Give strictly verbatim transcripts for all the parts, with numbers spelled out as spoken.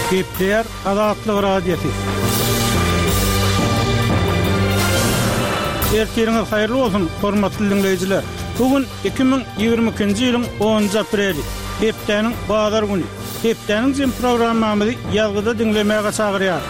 Gepleýär Azatlyk Radiosy. Ertiriňiz haýyrly bolsun, hormatly diňleýjiler! Bu gün iki müň ýigrimi ikinji ýylyň onunjy apreli, hepdäniň bazar güni. Hepdäniň jem programmamyzy ýazgyda diňlemäge çagyrýar.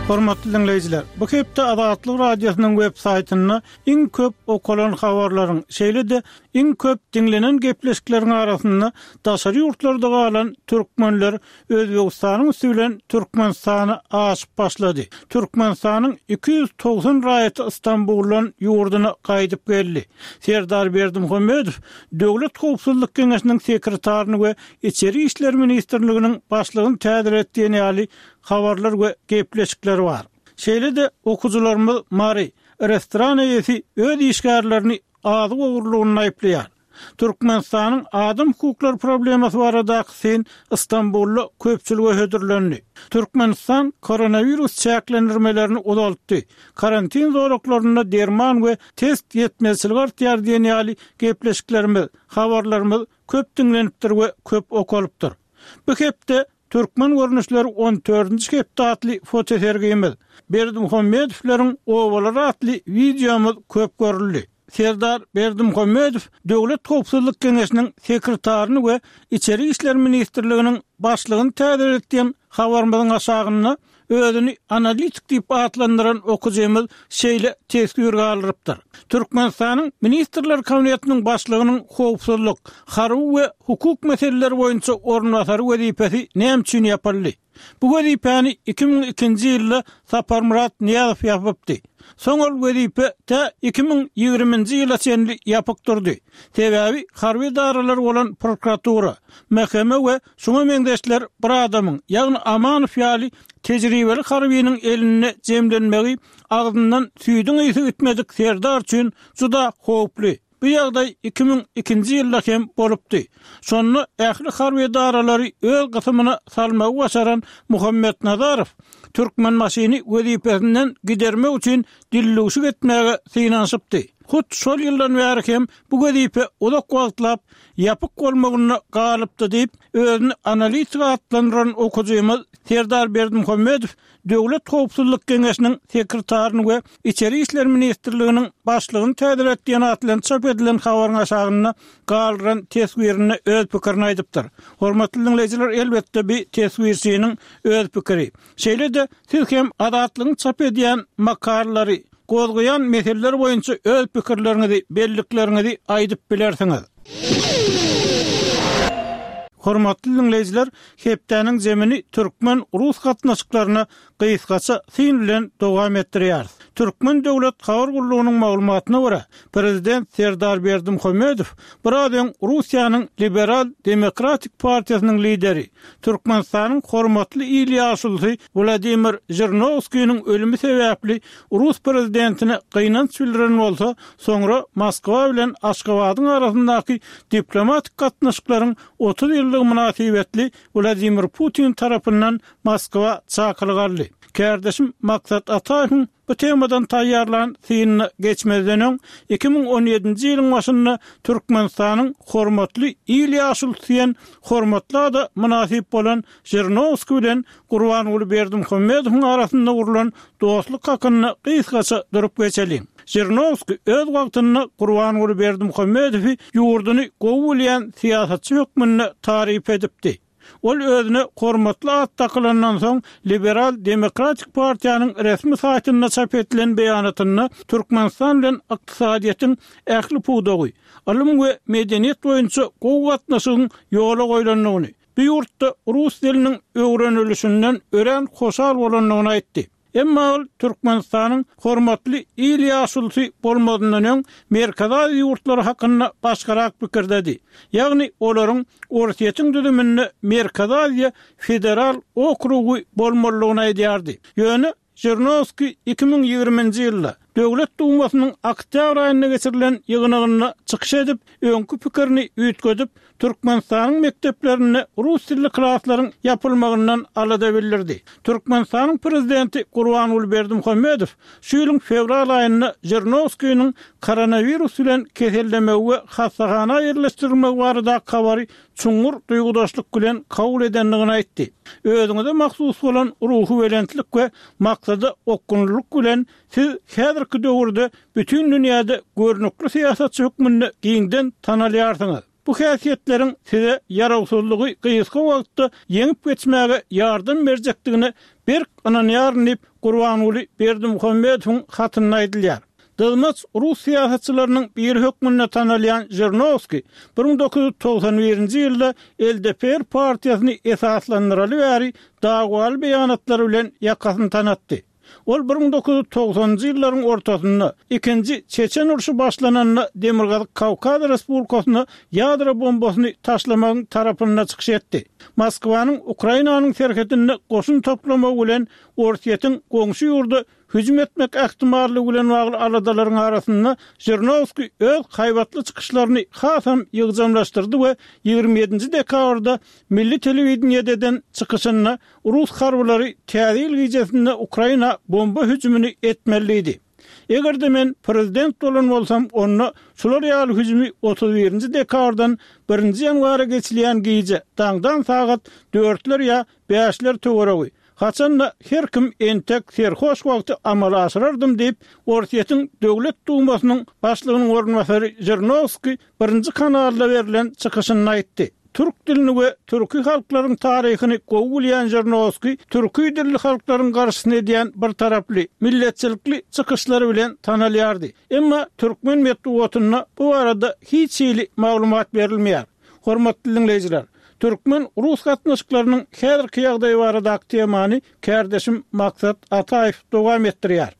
Hormatly diňleýjiler, bu hepde Azatlyk Radiosynyň web saýtynda iň köp okalan habarlaryň, şeýle-de iň köp diňlenen gepleşikleriň arasynda daşary ýurtlarda galan türkmenler Özbegistanyň üsti bilen Türkmenistana aşyp başlady. Türkmenistanyň iki ýüz togsan raýaty Stambuldan ýurduna gaýdyp geldi. Serdar Berdimuhamedow Döwlet howpsuzlyk geňeşiniň sekretaryny we Içeri işler ministrliginiň başlygyny täzelet diýen ýaly habarlar we gepleşikler bar. Şeýle-de okyjylarymyz Mary restoran eýesi öz işgärlerini azyk ogurlygynda aýyplaýar. Türkmenistanyň adam hukuklary problemasy baradaky syn Stambulda köpçülige hödürlendi. Türkmenistan koronawirus çäklendirmelerini uzaltdy. Karantin zolaklarynda derman we test ýetmezçiligi artýar diýen ýaly gepleşiklerimiz, habarlarymyz köp diňlenipdir we köp okalypdyr. Bu hepde Türkmen görnüşleri on dördünji hepde atly fotosergimiz, Berdimuhamedowlaryň obalary atly wideomyz köp görüldi. Serdar Berdimuhamedow Döwlet howpsuzlyk geňeşiniň sekretaryny we Içeri işler ministrliginiň başlygyny täzelet diýen habarymyzyň aşagynda özüni analitik diýip atlandyran okyjymyz şeýle teswir galdyrypdyr. Türkmenistanyň Ministrler Kabinetiniň başlygynyň howpsuzlyk, harby we hukuk meseleleri boýunça orunbasary wezipesi näme üçin ýapyldy? Bu wezipäni iki müň ikinji ýylda Saparmyrat Nyýazow ýapypdy. Soň ol wezipe tä iki müň ýigriminji ýyla çenli ýapyk durdy. Sebäbi harby edaralar bolan prokuratura, M H M we şuňa meňzeşler bir adamyň, ýagny Amanow ýaly tejribeli harbynyň elinde jemlenmegi agzyndan süýdüň ysy gitmedik serdar üçin juda howply. Bu ýagdaý iki müň ikinji ýylda hem bolupdy. Şonda ähli harby edaralary öz gysymyna salmagy başaran Muhammet Nazarow Türkmenbaşyny wezipesinden gidermek üçin dillüwşük etmäge synanyşypdy. Hut şol ýyldan bäri hem bu wezipe uzak wagtlap ýapyk bolmagynda galypdy diýip, özüni analitik atlandyran okyjymyz Serdar Berdimuhamedow Döwlet howpsuzlyk geňeşiniň sekretaryny we Içeri işler ministrliginiň başlygyny täzelet diýen at bilen çap edilen habaryň aşagynda galdyran teswirinde öz pikirini aýdypdyr. Hormatly diňleýjiler, elbetde bu teswirçiniň öz pikiri. Şeýle-de siz hem Azatlygyň çap edýän makalalary, gozgaýan meseleler boýunça öz pikirleriňizi, bellikleriňizi aýdyp bilersiňiz. Hormatly diňleýjiler, hepdäniň zemini türkmen-rus gatnaşyklaryna gysgaça syn bilen dowam etdirýäris. Türkmen döwlet habar gullugynyň maglumatyna görä, prezident Serdar Berdimuhamedow biraz öň Russiýanyň Liberal Demokratik partiýasynyň lideri, Türkmenistanyň hormatly il ýaşulusy Wladimir Žirinowskiniň ölümi sebäpli rus prezidentine gynanç bildiren bolsa, soňra Moskwa bilen Aşgabadyň arasyndaky diplomatik gatnaşyklaryň otuz ýyllygy mynasybetli Wladimir Putin tarapyndan Moskwa çakylyk aldy. Kärdeşim Maksat Ataýewiň bu temadan taýýarlan synyna geçmezden öň, iki müň on ýedinji ýylyň başynda Türkmenistanyň hormatly il ýaşulusy diýen hormatly ada mynasyp bolan Žirinowskiý bilen Gurbanguly Berdimuhamedowyň arasynda gurlan dostluk hakynda gysgaça durup geçeliň. Žirinowskiý öz wagtynda Gurbanguly Berdimuhamedowy ýurduny gowy bilýän syýasatçy hökmünde taryp edipdi. Ol özüne hormatly at dakylandan soň Liberal Demokratik partiýanyň resmi saýtynda çap edilen beýanatynda Türkmenistan bilen ykdysadyýetiň ähli pudagy, ylym we medeniýet boýunça gowy gatnaşygyň ýola goýlandygyny, bu ýurtda rus diliniň öwrenilişinden örän hoşal bolandygyny aýtdy. Emma ol Türkmenistanyň hormatly il ýaşulusy bolmazyndan öň Merkezi Aziýa ýurtlary hakynda başgarak pikirdedi. Ýagny olaryň Orsýetiň düzüminde Merkezi Aziýa federal okrugy bolmalydygyny aýdýardy. Ýöne Žirinowskiý iki müň ýigriminji ýylda Döwlet Dumasynyň oktýabr aýynda geçirilen ýygnagynda çykyş edip, öňki pikirini üýtgedip, Türkmenistanyň mekdeplerinde rus dilli klaslaryň ýapylmagyndan alada bildirdi. Türkmenistanyň prezidenti Gurbanguly Berdimuhamedow şu ýylyň fewral aýynda Žirinowskiniň koronawirus bilen kesellemegi we hassahana ýerleşdirilmegi baradaky habary çuňňur duýgudaşlyk bilen kabul edendigini aýtdy. Özüňize mahsus bolan ruhubelentlik we maksada okgunlylyk bilen siz häzirki döwürde bütin dünýäde görnükli syýasatçy hökmünde giňden tanalýarsyňyz. Bu häsiýetleriň size ýarawsyzlygy gysga wagtda ýeňip geçmäge ýardam berjekdigine berk ynanýaryn diýip, Gurbanguly Berdimuhamedowyň hatynda aýdylýar. Dyzmaç rus syýasatçylarynyň biri hökmünde tanalýan Žirinowskiý bir müň dokuz ýüz togsan birinji ýylda L D P R partiýasyny esaslandyraly bäri dawaly beýanatlary bilen ýakasyny tanatdy. Ol bir müň dokuz ýüz togsanynjy ýyllaryň ortasynda Ikinji Çeçen urşy başlananda Demirgazyk Kawkaz Respublikasyna ýadro bombasyny taşlamagyň tarapynda çykyş etdi. Moskwanyň Ukrainanyň serhedinde goşun toplamagy bilen Orsýetiň goňşy ýurda hüjüm etmek ähtimallygy bilen bagly aladalaryň arasynda Žirinowskiý öz haýbatly çykyşlaryny hasam ýygjamlaşdyrdy we ýigrimi ýedinji dekabrda milli telewideniýede eden çykyşynda rus harbylary Täze ýyl gijesinde Ukraina bomba hüjümini etmeli diýdi. Eger-de men prezident bolan bolsam, onda şular ýaly hüjümi otuz birinji dekabrdan birinji ýanwara geçilýän gije daňdan sagat dörtler ýa bäşler töweregi, haçan-da her kim entek serhoş wagty amala aşyrardym diýip, Orsýetiň Döwlet Dumasynyň başlygynyň orunbasary Žirinowskiý birinji kanalda berlen çykyşynda aýtdy. Türk dilini we türki halklaryň taryhyny gowy bilýän Žirinowskiý türki dilli halklaryň garşysyna edýän birtaraply, milletçilikli çykyşlary bilen tanalýardy. Emma türkmen metbugatynda bu barada hiç hili maglumat berilmeýär. Hormatly diňleýjiler, türkmen-rus gatnaşyklarynyň häzirki ýagdaýy baradaky temany kärdeşim Maksat Ataýew dowam etdirýär.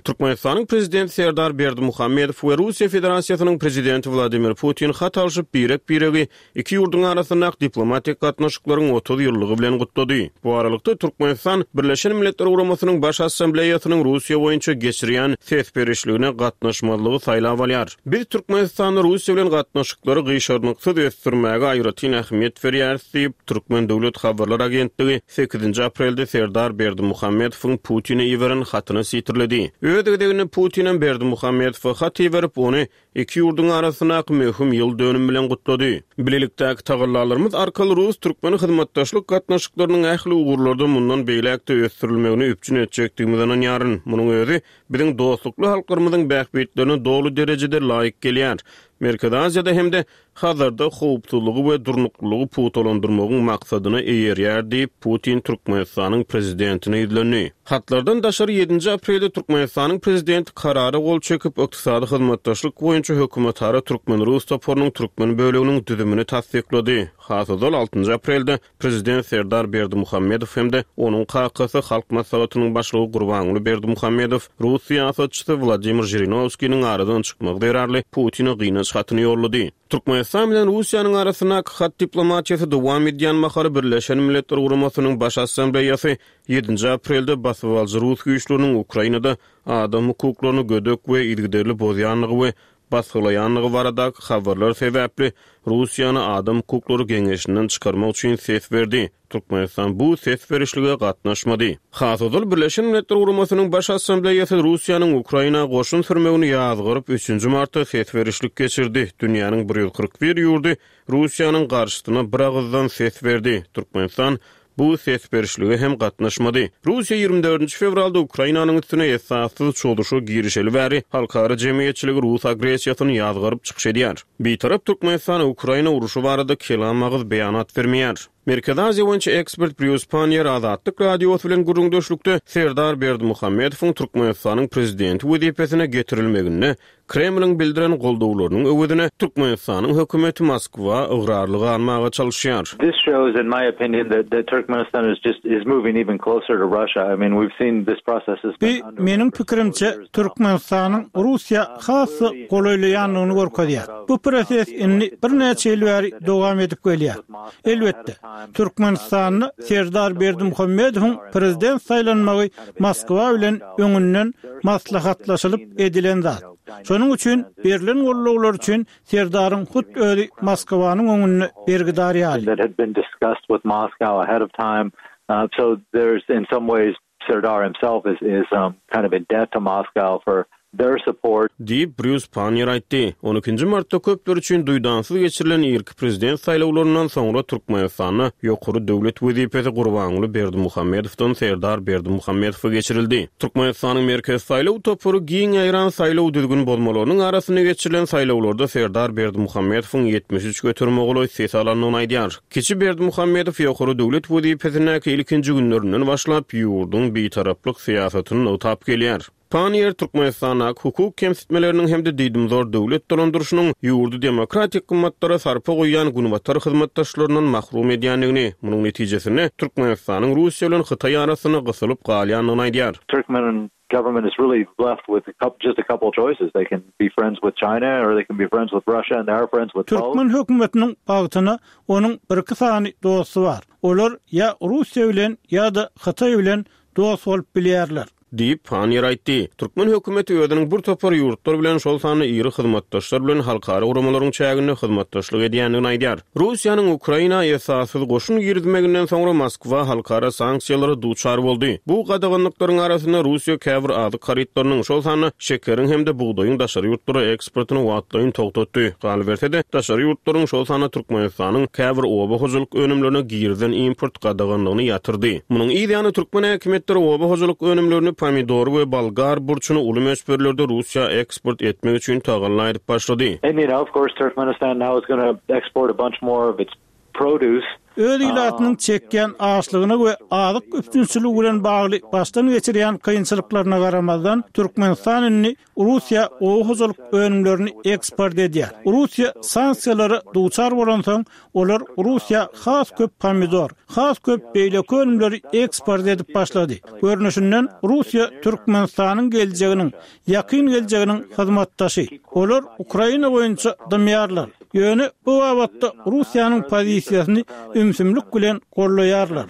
Türkmenistanyň Prezidenti Serdar Berdimuhamedow we Russiýa Federasiýasynyň Prezidenti Wladimir Putin hat alşyp, birek-biregi iki ýurduň arasyndaky diplomatik gatnaşyklaryň otuz ýyllygy bilen gutlady. Bu aralykda, Türkmenistan Birleşen Milletler Guramasynyň Baş Assambleýasynyň Russiýa boýunça geçirýän ses berişligine gatnaşmazlygy saýlap alýar. Biz Türkmenistanda Russiýa bilen gatnaşyklary gyşarnyksyz ösdürmäge aýratyn ähmiýet berýäris diýip, Türkmen döwlet habarlar agentligi sekizinji aprelde Serdar Berdimuhamedowyň Putine iberen hatyny sitirledi. Öz gezeginde Putinem Berdimuhamedowa hat iberip, ony iki ýurduň arasyndaky möhüm ýyl dönümi bilen gutlady. Bilelikdäki tagallalarymyz arkaly rus-türkmen hyzmatdaşlyk gatnaşyklarynyň ähli ugurlarda mundan beýläk-de ösdürilmegini üpjün etjekdigimize ynanýaryn. Munuň özi biziň dostlukly halklarymyzyň bähbitlerine doly derejede laýyk gelýär. Merkezi Aziýada hem-de Hazarda howpsuzlygy we durnuklylygy pugtalandyrmagyň maksadyna eýerýär diýip, Putin Türkmenistanyň Prezidentine ýüzlendi. Hatlardan daşary ýedinji aprelde Türkmenistanyň Prezidenti Karara gol çekip, Ykdysady hyzmatdaşlyk boýunça hökümetara türkmen-rus toparynyň türkmen böleginiň düzümini tassyklady. Has ozal altynjy aprelde Prezident Serdar Berdimuhamedow hem-de onuň kakasy Halk Maslahatynyň başlygy Gurbanguly Berdimuhamedow rus syýasatçysy Wladimir Žirinowskiniň aradan çykmagy zerarly Putine gynanç hatyny ýollady. Türkmenistan bilen Russiýanyň arasyndaky hat diplomatiýasy dowam edýän mahaly Birleşen Milletler Guramasynyň Baş Assambleýasy ýedinji aprelde basybalyjy rus güýçleriniň Ukrainada adam hukuklaryny gödek we yzygiderli bozýandygy we basgylaýandygy baradaky habarlar sebäpli Russiýany Adam hukuklary geňeşinden çykarmak üçin ses berdi. Türkmenistan bu ses berişlige gatnaşmady. Has ozal Birleşen Milletler Guramasynyň Baş Assambleýasy Russiýanyň Ukraina goşun sürmegini ýazgaryp, üçünji martda ses berişlik geçirdi. Dünýäniň bir ýüz kyrk bir ýurdy Russiýanyň garşysyna bir agyzdan ses berdi. Türkmenistan bu ses berişlige hem gatnaşmady. Russiýa ýigrimi dördünji fewralda Ukrainanyň üstüne esassyz çozuşa girişeli bäri halkara jemgyýetçiligi rus agressiýasyny ýazgaryp çykyş edýär. Bitarap Türkmenistan Ukraina urşy barada kelam agyz beýanat bermeýär. Merkezi Aziýa boýunça ekspert Brýus Panniýer Azatlyk Radiosy bilen gürrüňdeşlikde Serdar Berdimuhamedowyň Türkmenistanyň prezidenti wezipesine getirilmeginde Kremliň bildiren goldawlarynyň öwezine Türkmenistanyň hökümeti Moskwa ygrarly galmaga çalyşýar. This shows, in my opinion, that, that Turkmenistan is just is moving even closer to Russia. I mean, we've seen this process has been Bu, underway meniň for several pikirimçe, years now. Türkmenistanyň Russiýa has-da golaýlaýandygyny görkezýär. Bu proses indi birnäçe ýyl bäri dowam edip gelýär. Elbetde, Türkmenistanda Serdar Berdimuhamedowyň prezident saýlanmagy Moskwa bilen öňünden maslahatlaşylyp edilen zat. Şonuň üçin berlen gollawlar üçin Serdaryň hut özi Moskwanyň öňünde bergidar ýaly. that had been discussed with Moscow ahead of time. Uh, so there's in some ways Serdar himself is is um, kind of in debt to Moscow for their support. Diýip Brýus Pannier aýtdy. On ikinji martda köpler üçin duýdansyz geçirilen irki prezident saýlawlaryndan soňra Türkmenistanda ýokary döwlet wezipesi Gurbanguly Berdimuhamedowdan Serdar Berdimuhamedowa geçirildi. Türkmenistanyň Merkezi saýlaw topary giň ýaýran saýlaw düzgün bozmalarynyň arasynda geçirilen saýlawlarda Serdar Berdimuhamedowyň ýetmiş üç göterime golaý ses alandygyny aýdýar. Kiçi Berdimuhamedow ýokary döwlet wezipesindäki ilkinji günlerinden başlap ýurduň bitaraplyk syýasatyny nygtap gelýär. Pannier Türkmenistandaky hukuk kemsitmeleriniň hem-de diýdimzor döwlet dolandyryşynyň ýurdy demokratik gymmatlara sarpa goýýan günbatar hyzmatdaşlaryndan mahrum edýändigini, munuň netijesinde Türkmenistanyň Russiýa bilen Hytaý arasynda gysylyp galýandygyny aýdýar. Turkmen government is really left with a couple, just a couple choices. They can be friends with China or they can be friends with Russia, and they are friends with both. Türkmen hökümetiniň bagtyna onuň bir iki sany dosty bar. Olar ýa Russiýa bilen ýa-da Hytaý bilen dost bolup bilýärler. Diýip Pannier aýtdy. Türkmen hökümeti özüniň bir topar ýurtlar bilen, şol sanda iri hyzmatdaşlar bilen halkara guramalaryň çäginde hyzmatdaşlyk edýändigini aýdýar. Russiýanyň Ukraina esassyz goşun girizmeginden soňra Moskwa halkara sanksiýalara duçar boldy. Bu gadaganlyklaryň arasynda Russiýa käbir azyk harytlarynyň, şol sanda şekeriň hem-de bugdaýyň daşary ýurtlara eksportyny wagtlaýyn togtatdy. Galyberse-de, daşary ýurtlaryň, şol sanda Türkmenistanyň käbir oba hojalyk önümlerine girizilen import gadaganlygyny ýatyrdy. Munuň yz ýany türkmen häkimiýetleri oba hojalyk önümlerini pomidory we bolgar burçuny uly möçberlerde Russiýa eksport etmek üçin tagalla edip başlady. And you know, of course, Turkmenistan now is gonna export a bunch more of its produce. Öz ilatynyň çekýän açlygyna we azyk üpjünçiligi bilen bagly başdan geçirýän kynçylyklaryna garamazdan, Türkmenistan indi Russiýa oba hojalyk önümlerini eksport edýär. Russiýa sanksiýalara duçar bolansoň, olar Russiýa has köp pomidor, has köp beýleki önümleri eksport edip başlady. Görnüşinden Russiýa Türkmenistanyň geljeginiň, ýakyn geljeginiň hyzmatdaşy. Olar Ukraina boýunça dymýarlar. Ýöne bu babatda Russiýanyň pozisiýasyny ümsümlik bilen gollaýarlar.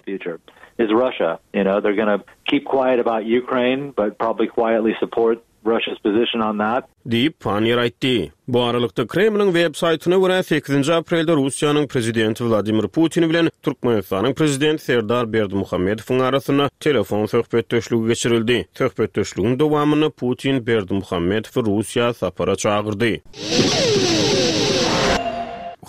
Is Russia, you know, they're gonna keep quiet about Ukraine, but probably quietly support Russia's position on that. Diýip Pannier aýtdy. Bu aralykda Kremliň web saýtyna görä sekizinji aprelde Russiýanyň prezidenti Wladimir Putin bilen Türkmenistanyň prezidenti Serdar Berdimuhamedowyň arasynda telefon söhbetdeşligi geçirildi. Söhbetdeşligiň dowamynda Putin Berdimuhamedowy Russiýa sapara çagyrdy.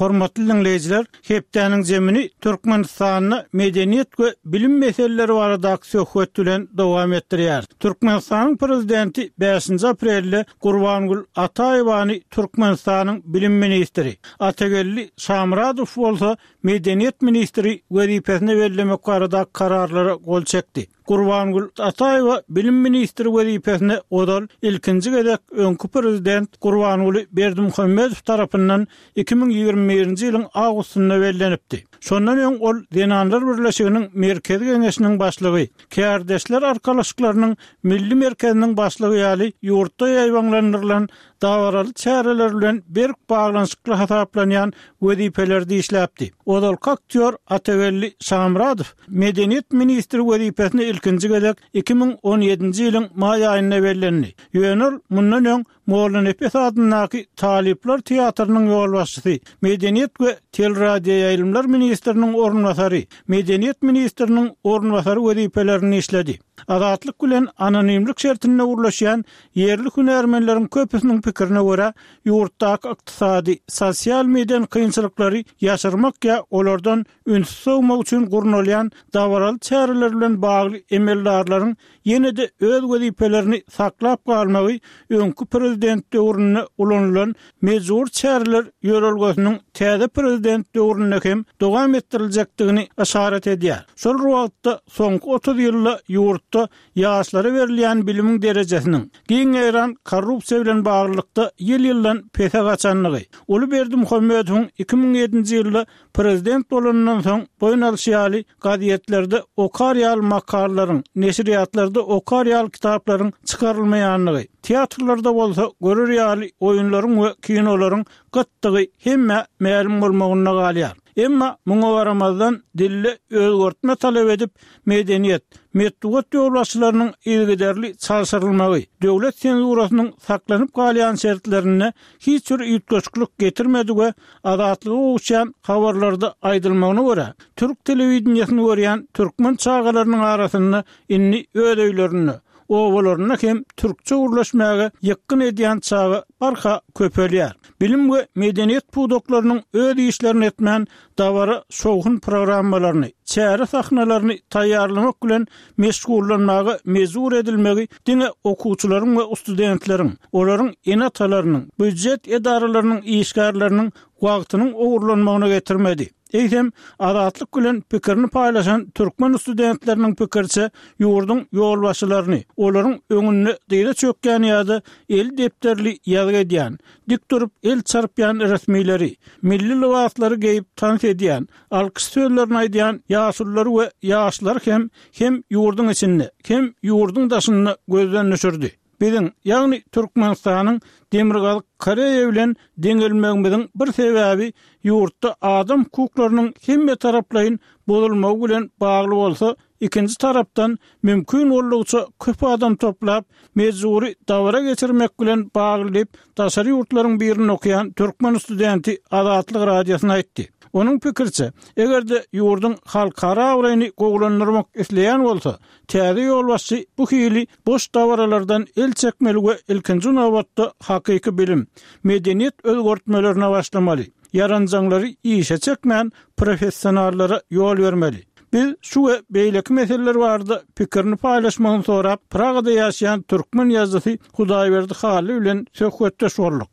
Hormatly dinleýjiler, hepdäniň zemini Türkmenistanda medeniýet we bilim meseleleri baradaky söhbet bilen dowam etdirýär. Türkmenistanyň prezidenti bäşinji aprelde Gurbangül Ataýewany Türkmenistanyň bilim ministri, Atageldi Şamradow bolsa medeniýet ministri wezipesine bellemek baradaky kararlara gol çekdi. Gurbangül Ataýewa bilim ministri wezipesine ozal ilkinji gezek öňki prezident Gurbanguly Berdimuhamedow tarapyndan iki müň ýigrimi birinji ýylyň awgustynda bellenipdi. Şondan öň ol Zenanlar Birleşiginiň Merkezi Geňeşiniň başlygy, Kärdeşler Arkalaşyklarynyň Milli Merkeziniň başlygy ýaly ýurtda ýaýbaňlandyrylan dabaraly çäreler bilen berk baglanyşykly hasaplanýan wezipelerde işläpdi. Ozalky aktýor Atageldi Şamradow medeniýet ministri wezipesine ilkinji gezek iki müň on ýedinji ýylyň maý aýynda bellendi. Ýöne ol mundan öň Mollanepes adyndaky Talyplar teatrynyň ýolbaşçysy, Medeniýet we teleradioýaýlymlar ministriniň orunbasary, Medeniýet ministriniň orunbasary wezipelerini işledi. Azatlyk bilen anonimlik şertinde gurlaşýan ýerli hünärmenleriň köpüsiniň pikirine görä, ýurtdaky ykdysady, sosial meden kynçylyklary ýaşyrmak ýa olardan üns sowmak üçin gurnalýan dabaraly çäreler bilen bagly emeldarlaryň ýene-de öz wezipelerini saklap galmagy öňki prezident döwründe ulanylan mejbur çäreler ýörelgesiniň täze prezident döwründe hem dowam etdiriljekdigini işaret edýär. Şol wagtda soňky otuz ýylda ýurtda ýaşlara berilýän bilimiň derejesiniň giň ýaýran korrupsiýa bilen baglylykda ýyl-ýyldan pese gaçandygy, Uly Berdimuhamedowyň iki müň ýedinji ýylda prezident bolandan soň boýun alyşy ýaly gazetlerde okar ýaly makalalaryň, neşirýatlarda Kitaphanada okar ýaly kitaplaryň çykarylmaýanlygy, teatrlarda bolsa görer ýaly oýunlaryň we kinolaryň gytdygy hemmä mälim bolmagynda galýar. Emma muňa garamazdan dilde özgertme talap edip, medeniýet, metbugat ýolbaşçylarynyň yzygiderli çalşyrylmagy, döwlet senzurasynyň saklanyp galýan şertlerinde hiç bir üýtgeşiklik getirmedi we Azatlyga gowuşýan habarlarda aýdylmagyna görä, türk telewideniýesini görýän türkmen çagalarynyň arasynda indi öz öýlerinde, obalarynda hem türkçe gürleşmäge ýykgyn edýän çaga barha köpelýär. Bilim we medeniýet pudaklarynyň öz işlerini etmän, dabara şowhun programmalaryny, çäre sahnalaryny taýýarlamak bilen meşgullanmaga mejbur edilmegi diňe okuwçylaryň we studentleriň, olaryň ene-atalarynyň, býujet edaralarynyň işgärleriniň wagtynyň ogurlanmagyna getirmedi. Eýsem, Azatlyk bilen pikirini paýlaşan türkmen studentleriniň pikiriçe, ýurduň ýolbaşçylaryny, olaryň öňünde dyza çökýän ýa-da eli depderli ýazgy edýän, dik durup el çarpýan resmileri, milli lybaslary geýip tans edýän, alkyş sözlerini aýdýan ýaşululary we ýaşlary hem hem ýurduň içinde, hem ýurduň daşynda gözden düşürdi. Biziň, ýagny Türkmenistanyň Demirgazyk Koreýa bilen deňelmegimiziň bir sebäbi ýurtda adam hukuklarynyň hemmetaraplaýyn bozulmagy bilen bagly bolsa, ikinji tarapdan, mümkin boldugyça köp adam toplap, mejbury dabara geçirmek bilen bagly diýip, daşary ýurtlaryň birinde okaýan türkmen studenti Azatlyk Radiosyna aýtdy. Onuň pikiriçe, eger-de ýurduň halkara abraýyny gowulandyrmak isleýän bolsa, täze ýolbaşçy bu hili boş dabaralardan el çekmeli we ilkinji nobatda hakyky bilim, medeniýet özgertmelerine başlamaly, ýaranjaňlary işe çekmän, professionallara ýol bermeli. Biz şu we beýleki meseleler barada pikirini paýlaşmagyny sorap, Pragada ýaşaýan türkmen ýazyjysy Hudaýberdi Hally bilen söhbetdeş bolduk.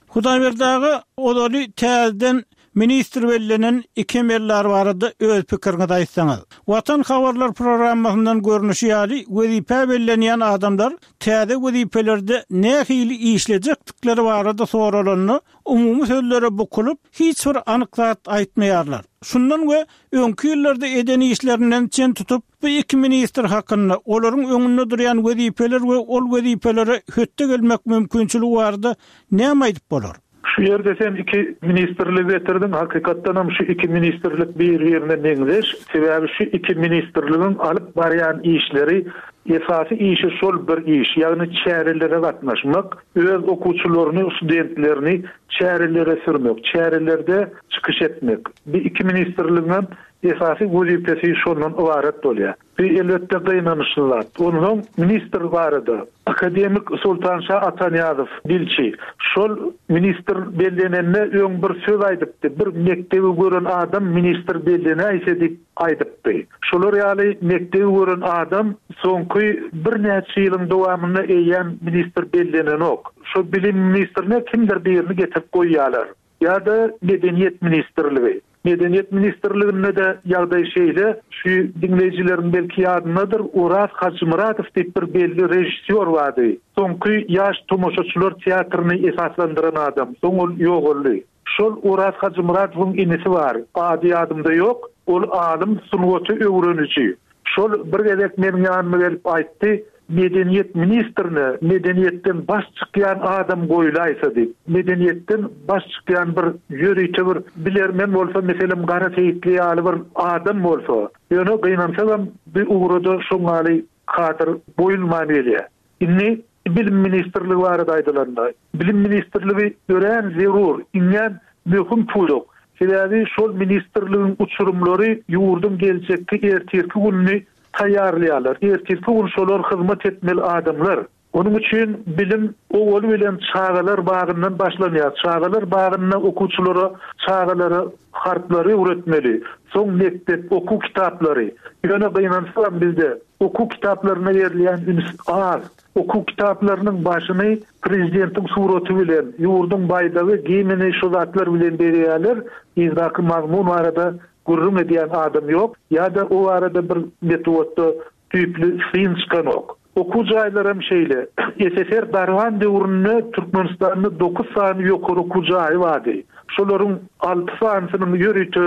Hudaýberdi aga, ozaly täzeden ministr bellenen iki emeldar barada öz pikiriňizi aýtsaňyz. Watan habarlar programmasyndan görnüşi ýaly, wezipä bellenýän adamlar täze wezipelerde nähili işlejekdikleri barada soralanda, umumy sözlere bukulyp, hiç bir anyk zat aýtmaýarlar. Şundan we öňki ýyllarda eden işlerinden çen tutup, bu iki ministr hakynda, olaryň öňünde durýan wezipeler we ol wezipelere hötde gelmek mümkinçiligi barada näme aýdyp bolar? Şu ýerde sen iki ministrligi getirdiň, hakykatdanam şu iki ministrlik bir-birine meňzeş, sebäbi şu iki ministrligiň alyp barýan işleri, esasy işi şol bir iş, ýagny çärelere gatnaşmak, öz okuwçylaryny, studentlerini çärelere sürmek, çärelerde çykyş etmek. Bu iki ministrligiňem esasy wezipesi şondan ybarat bolýar. Bu elbetde gynanyçly zat. Onsoň ministr barada, akademik Soltanşa Atanyýazow, dilçi, şol ministr bellenende öň bir söz aýdypdy, bir mekdebi gören adam ministr bellenäýse diýip aýdypdy. Şolar ýaly mekdebi gören adam soňky birnäçe ýylyň dowamynda eýýäm ministr bellenenok. Şo bilim ministrine kimdir birini getirip goýýarlar. Ýa-da Medeniýet ministrligi. Medeniýet ministrliginde-de ýagdaý şeýle, şu diňleýjileriň belki ýadyndadyr, Oraz Hajymyradow diýip bir belli režissýor bardy. Soňky Ýaş tomaşaçylar teatryny esaslandyran adam. Soň ol ýogaldy. Şol Oraz Hajymyradowyň inisi bar, ady ýadymda ýok, ol alym, sungaty öwreniji. Şol bir gezek meniň ýanyma gelip aýtdy, Medeniýet ministrine medeniýetden baş çykýan adam goýlaýsa diýip. Medeniýetden baş çykýan bir ýörite bir bilermen bolsa, meselem, Gara Seýitli ýaly bir adam bolsa. Ýöne gynansagam bu ugra-da şoň ýaly kadr goýulman gelýär. Indi Bilim ministrligi barada aýdylanda, Bilim ministrligi örän zerur, iňňän möhüm pudak. Sebäbi şol ministrligiň uçurymlary ýurduň geljekki ertirki gününi taýýarlaýarlar. Ertirki gün şolar hyzmat etmeli adamlar. Onuň üçin bilim owaly bilen çagalar bagyndan başlanýar. Çagalar bagynda okuwçylara, çagalara harplary öwretmeli. Soň mekdep, okuw kitaplary. Ýöne gynansagam bizde okuw kitaplaryna berilýän üns az. Okuw kitaplarynyň başyny prezidentiň suraty bilen, ýurduň baýdagy, gimni şu zatlar bilen bezeýärler. Yzdaky mazmun barada gürrüň edýän adam ýok ýa-da o barada bir metbugatda düýpli syn çykanok. Okuw jaýlaram şeýle. SSR dargan döwründe Türkmenistanda dokuz sany ýokary okuw jaýy bardy. Şolaryň alty sanysynyň ýörite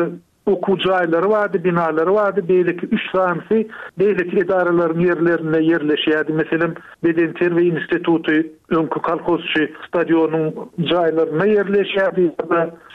okuw jaýlary bardy, binalary bardy, beýleki üç sanysy beýleki edaralaryň ýerlerinde ýerleşýärdi. Meselem, Bedenterbiýe instituty öňki kolhozçy stadionyň jaýlarynda ýerleşýärdi.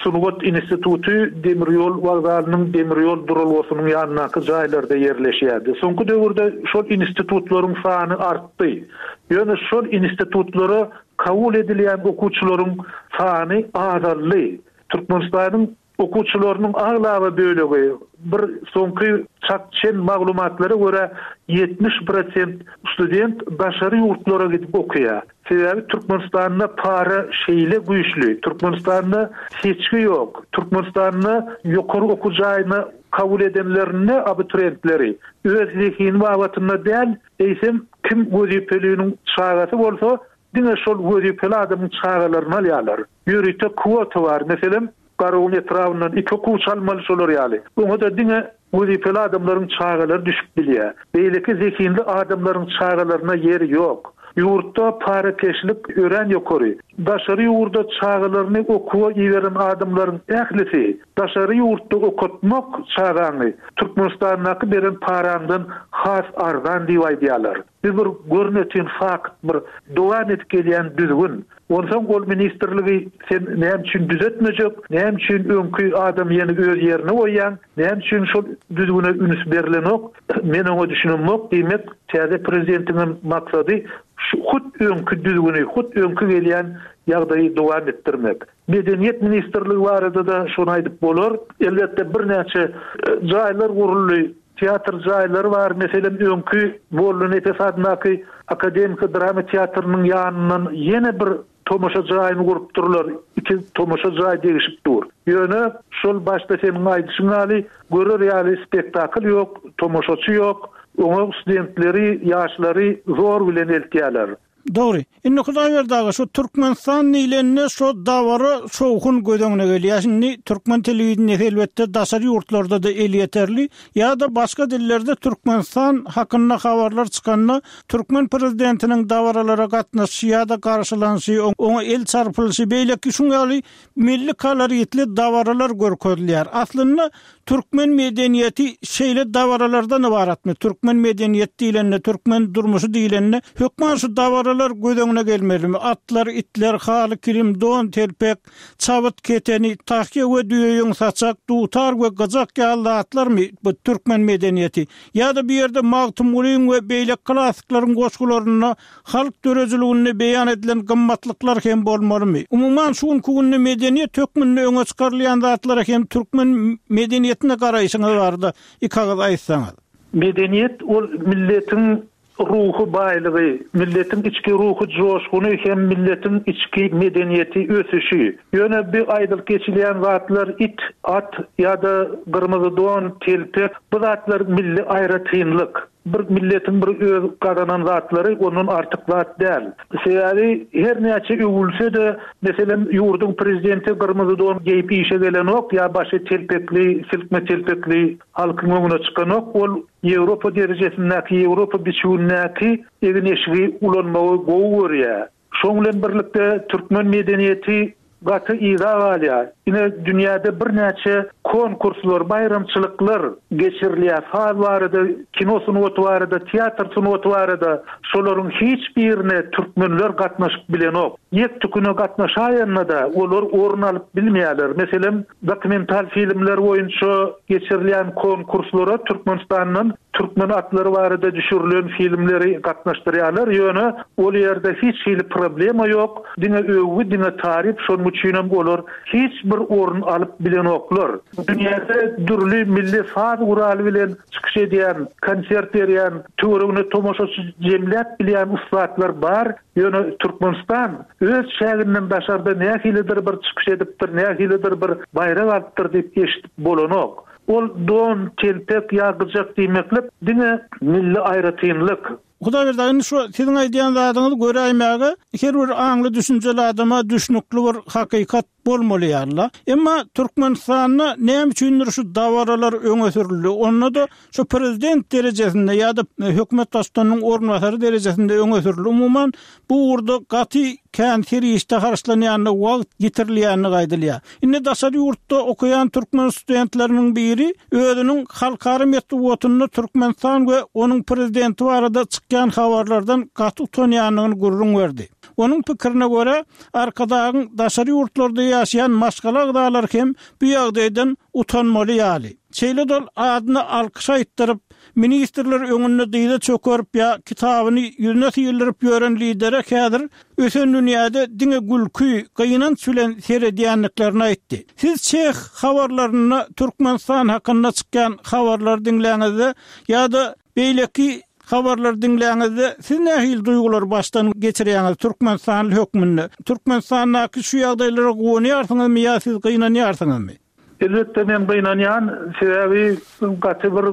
Sungat instituty demir ýol wokzalynyň demir ýol duralgasynyň ýanyndaky jaýlarda ýerleşýärdi. Soňky döwürde şol institutlaryň sany artdy. Ýöne şol institutlara kabul edilýän okuwçylaryň sany azaldy. Türkmenistanyň okuwçylarynyň aglaba bölegi bir soňky çak çen maglumatlara görä ýetmiş prosent student daşary ýurtlara gidip okaýar. Sebäbi Türkmenistanda para şeýle güýçli, Türkmenistanda seçgi ýok. Türkmenistanda ýokary okuw jaýyna kabul edenlerinde abituriyentleri öz zehini babatynda däl, eýsem kim wezipeliniň çagasy bolsa diňe şol wezipeli adamyň çagalaryny alýarlar. Ýörite kwota bar. Meselem, Garagum etrabyndan iki okuwçy almaly şolar ýaly. Oňa da diňe wezipeli adamlaryň çagalary düşüp bilýär. Beýleki zehinli adamlaryň çagalaryna ýeri ýok. Ýurtda parakeşlik örän ýokary. Daşary ýurda çagalaryny okuwa iberen adamlaryň ählisi daşary ýurtda okatmak çagaňy Türkmenistandaky beren paraňdan has arzan diýip aýdýarlar. Bu bir görnetin fakt, bir dowam edip gelýän düzgün. Onsoň ol ministrligi sen näme üçin düzetmejek, näme üçin öňki adam ýene öz ýerine goýýan, näme üçin şol düzgüne üns berilenok, men oňa düşünemok diýmek, täze prezidentiň maksady şu hut öňki düzgüni, hut öňki gelýän ýagdaýy dowam etdirmek. Medeniýet ministrligi barada da şony aýdyp bolar. Elbetde birnäçe, e, jaýlar guruldy, teatr jaýlary bar. Meselem, öňki Molla Nepes adyndaky akademik drama teatrynyň ýanyndan ýene bir tomaşa jaýyny gurupdyrlar. Iki tomaşa jaý degişip dur. Ýöne şol başda seniň aýdyşyň ýaly görer ýaly spektakl ýok, tomaşaçy ýok. Oňa studentleri, ýaşlary zor bilen eltýärler. Dogry. Indi Hudaýberdi aga, şu Türkmenistan diýlende şu dabara şowhun göz öňüne gelýär. Şimdi türkmen telewideniýesi elbetde daşary ýurtlarda da elýeterli ýa-da başga dillerde Türkmenistan hakynda habarlar çykanda türkmen prezidentiniň dabaralara gatnaşyşy ýa-da garşylanyşy, oňa el çarpylyşy, beýleki şuň ýaly milli koloritli dabaralar görkezilýär. Aslynda türkmen medeniýeti şeýle dabaralardan ybaratmy? Türkmen medeniýet diýlende, türkmen durmuşy diýlende hökman şu dabaralar göz öňüne gelmelimi? Atlar, itler, haly, kilim, don, telpek, çabyt, keteni, tahýa we düýeýüň saçak, dutar we gyjak ýaly zatlarmy bu türkmen medeniýeti? Ýa-da bir ýerde Magtymgulyň we beýleki klassiklaryň goşgularynda halk döredijiliginde beýan edilen gymmatlyklar hem bolmalymy? Umuman şu günki günde medeniýet hökmünde öňe çykarylýan zatlara hem türkmen medeniýetine garaýşyňyz barada iki agyz aýtsaňyz. Medeniýet ol milletiň ruhy baýlygy, milletiň içki ruhy joşguny hem milletiň içki medeniýeti ösüşi. Ýöne bir aýdylyp geçilýän zatlar it, at ýa-da gyrmyzy don, telpek, bu zatlar milli aýratynlyk. Bir milletiň bir öz gazanan zatlary ondan artyk zat däl. Sebäbi her näçe öwülse de, meselem, ýurduň prezidenti gyrmyzy don geýip işe gelenok ýa başy telpekli, silkme telpekli halkyň öňüne çykanok, ol Ýewropa derejesindäki, Ýewropa biçüwindäki egin-eşigi ulanmagy gowy görýär. Şoň bilen birlikde türkmen medeniýeti gaty yza galýar. Ine dünýäde birnäçe konkurslar, baýramçylyklar geçirilýär. Saz barada, kino sungaty barada, teatr sungaty barada şolaryň hiç birine türkmenler gatnaşyp bilenok. Ýek tüküne gatnaşaýanda da olar orun alyp bilmeýärler. Meselem, dokumental filmler boýunça geçirilýän konkurslara Türkmenistandan türkmen atlary barada düşürilen filmleri gatnaşdyrýarlar. Ýöne ol ýerde hiç hili problema ýok. Diňe öwgü, diňe taryp, şonuň üçin hem olar hiç bir orun alyp bilenoklar. Dünýäde dürli milli saz guraly bilen çykyş edýän, konsert berýän, töweregine tomaşaçy jemläp bilýän ussatlar bar. Ýöne Türkmenistan öz çäginden daşarda nähilidir bir çykyş edipdir, nähilidir bir baýrak alypdyr diýip eşidip bolanok. Ol don, telpek ýa gyjak diýmeklik diňe milli aýratynlyk. Hudaýberdi aga, indi şu siziň aýdýan zadyňyzy göräýmäge her bir aňly düşünjeli adama düşnükli bir hakykat bolmaly ýaly. Emma Türkmenistanda näme üçindir şu dabaralar öňe sürüldi? Onda-da şu prezident derejesinde ýa-da hökümet baştutanynyň orunbasary derejesinde öňe sürüldi. Umuman, bu ugurda gaty kän serişde harçlanýandygy, wagt ýitirilýändigi aýdylýar. Indi daşary ýurtda okaýan türkmen studentleriniň biri özüniň halkara metbugatynda Türkmenistan we onuň prezidenti barada çykýan habarlardan gaty utanýandygyny gürrüň berdi. Onuň pikirine görä, Arkadagyň daşary ýurtlarda ýaşaýan maşgala agzalary hem bu ýagdaýdan utanmaly ýaly. Şeýle-de ol adyna alkyş aýtdyryp, ministrler öňünde dyza çökerip ýa kitabyny ýüzüne syldyryp ýören lidere häzir ösen dünýäde diňe gülki, gynanç bilen seredýändiklerini aýtdy. Siz çeh habarlarynda Türkmenistan hakynda çykýan habarlary diňläňizde ýa-da beýleki habarlary diňläňizde siz nähili duýgulary başdan geçirýäňiz türkmenistanly hökmünde? Türkmenistandaky şu ýagdaýlara guwanýarsyňyzmy ýa siz gynanýarsyňyzmy? Elbetde men gynanýan, sebäbi gaty bir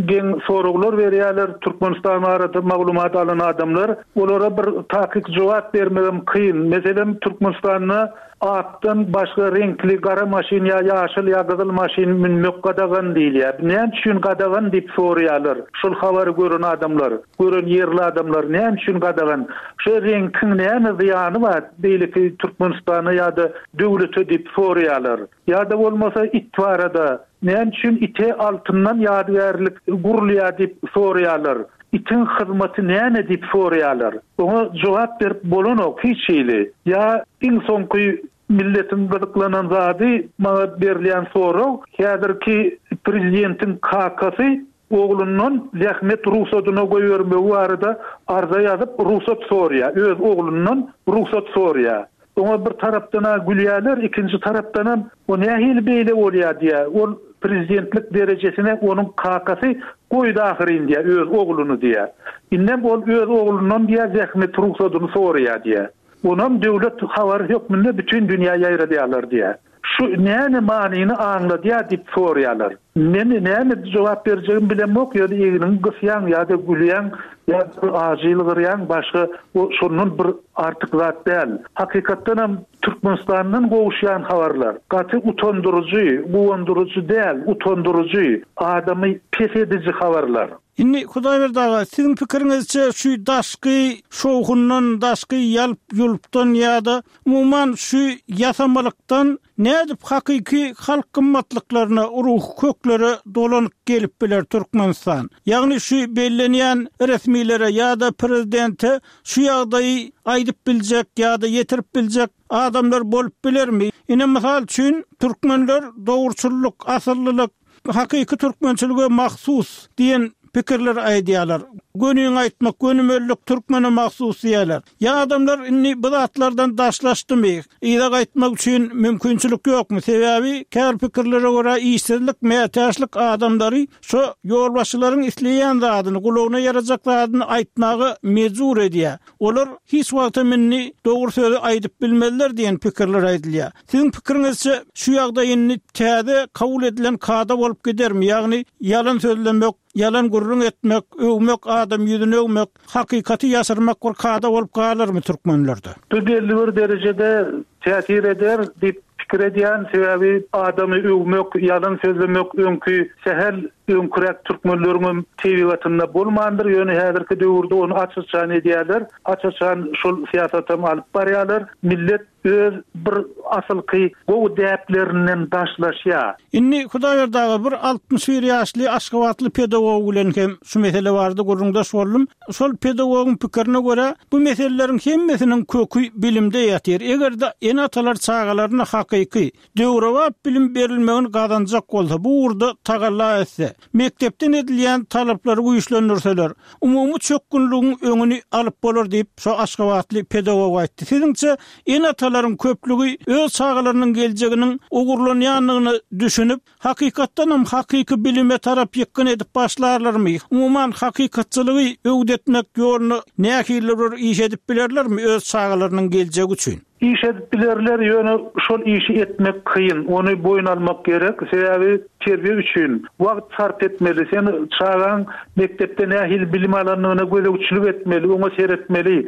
geň soraglar berýärler Türkmenistan barada maglumat alan adamlar. Olara bir takyk jogap bermegem kyn. Meselem, Türkmenistanda akdan başga reňkli gara maşyn ýa ýaşyl ýa gyzyl maşyn münmek gadagan diýilýär. Näme üçin gadagan diýip soraýarlar. Şol habary gören adamlar, gören ýerli adamlar näme üçin gadagan? Şu reňkiň näme zyýany bar beýleki Türkmenistana ýa-da döwlete diýip soraýarlar. Ýa-da bolmasa it barada näme üçin ite altyndan ýadygärlik gurulýar diýip soraýarlar. Itiň hyzmaty näme diýip soraýarlar. Oňa jogap berip bolanok hiç hili. Ýa iň soňky milletiň gyzyklanan zady maňa berilýän sorag, häzirki prezidentiň kakasy oglundan zähmet rugsadyna goýbermegi barada arza ýazyp rugsat soraýar. Öz oglundan rugsat soraýar. Oňa bir tarapdan-a gülýärler, ikinji tarapdanam o nähili beýle bolýar diýýär. Ol prezidentlik derejesine onuň kakasy goýdy ahyryn diýýär, öz ogluny diýýär. Indem ol öz oglundan diýýär zähmet rugsadyny soraýar diýýär. Onam döwlet habary hökmünde bütün dünýä ýaýradýarlar diýýär. Şu näme manyny aňladýar diýip soraýarlar. Men näme jogap berjegimi bilemok, ýöne egniňi gysýaň ýa-da gülýäň, ýa-da ajy ýylgyrýaň, başga o şondan bir artyk zat däl. Hakykatdanam Türkmenistandan gowuşýan habarlar gaty utandyryjy, guwandyryjy däl, utandyryjy, adamy pes ediji habarlar. Indi Hudaýberdi aga, siziň pikiriňizçe şu daşky şowhundan, daşky ýalp ýulpdan ýa-da umuman şu ýasamalykdan nädip hakyky halk gymmatlyklaryna, ruhy köklere dolanyp gelip biler Türkmenistan? Ýagny şu bellenýän resmilere ýa-da prezidente şu ýagdaýy aýdyp biljek ýa-da ýetirip biljek adamlar bolup bilermi? Ine mysal üçin türkmenler dogruçyllyk, asyllylyk, hakyky türkmençilige mahsus diýen pikirler aýdýarlar. Gönüň aýtmak, gönümellik türkmene mahsus diýýärler. Ýa adamlar indi bu zatlardan daşlaşdymy? Yza gaýtmak üçin mümkinçilik ýokmy? Sebäbi kär pikirlere görä işsizlik, mätäçlik adamlary şu ýolbaşçylaryň isleýän zadyny, gulagyna ýarajak zadyny aýtmaga mejbur edýär. Olar hiç wagtam indi dogry sözi aýdyp bilmezler diýen pikirler aýdylýar. Siziň pikiriňizçe şu ýagdaý indi täze kabul edilen kada bolup gidermi? Ýagny ýalan sözlemek, ýalan gürrüň etmek, öwmek, adam ýüzüni öwmek, hakykaty ýaşyrmak bir kada bolup galarmy türkmenlerde? Bu belli bir derejede täsir eder diýip pikir edýän, sebäbi adamy öwmek, ýalan sözlemek öňki sähel öňküräk türkmenleriň tebigatynda bolmandyr. Ýöne häzirki döwürde ony aç-açan edýärler. Aç-açan şol syýasatam alyp barýarlar. Millet öz bir asylky gowy däplerinden daşlaşýar. Indi Hudaýberdi aga bir altmyş bir ýaşly Aşgabatly pedagog bilen hem şu mesele barada gürrüňdeş boldum. Şol pedagogyň pikirine görä bu meseleleriň hemmesiniň köki bilimde ýatyr. Eger-de ene-atalar çagalaryna hakyky döwrebap bilim berilmegini gazanjak bolsa, bu ugurda tagalla etse, mekdepden edilýän talaplary güýçlendirseler, umumy çökgünligiň öňüni alyp bolar diýip şo Aşgabatly pedagog aýtdy. Siziňçe ene-atalaryň köplügi öz çagalarynyň geljeginiň ogurlanýandygyny düşünip, hakykatdan hem hakyky bilime tarap ýykgyn edip başlarlarmy? Umuman hakykatçylygy öwdetmek ýoluna nähili bir iş edip bilerlermi öz çagalarynyň geljegi üçin? Iş edip bilerler, ýöne şol işi etmek kyn, ony boýun almak gerek, sebäbi terbiýe üçin wagt sarp etmeli, sen çagaň mekdepde nähili bilim alandygyna gözegçilik etmeli, oňa seretmeli.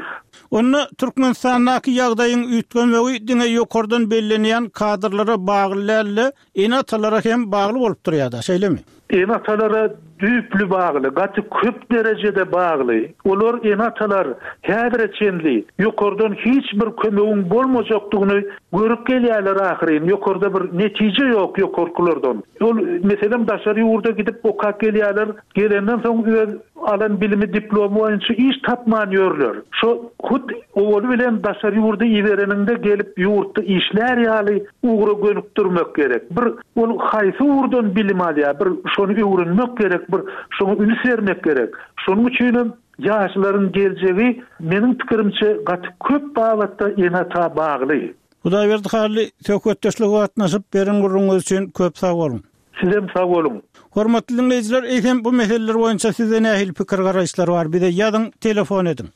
Onda Türkmenistandaky ýagdaýyň üýtgemegi diňe ýokardan bellenýän kadrlara bagly däl-de, ene-atalara hem bagly bolup durýar-da, şeýlemi? Ene-atalara düýpli bagly, gaty köp derejede bagly. Olar ene-atalar häzire çenli ýokardan hiç bir kömegiň bolmajakdygyny görüp gelýärler ahyryn. Ýokarda bir netije ýok ýokarkylardan. Ol meselem daşary ýurda gidip okap gelýärler, gelenden soň öz alan bilimi diplomy boýunça iş tapman ýörler. Şo hut owaly bilen daşary ýurda ibereniňde gelip ýurtda işlär ýaly ugra gönükdirmek gerek. Bir ol haýsy ugurdan bilim alýar, bir şony öwrenmek gerek, bir şoňa üns bermek gerek. Şonuň üçinem ýaşlaryň geljegi meniň pikirimçe gaty köp babatda ene-ata bagly. Hudaýberdi Hally, söhbetdeşlige gatnaşyp beren gürrüňiňiz üçin köp sag boluň. Sizem sag boluň. Hormatly diňleýjiler, eýsem bu meseleler boýunça sizde nähili pikir garaýyşlar bar? Bize ýazyň, telefon ediň.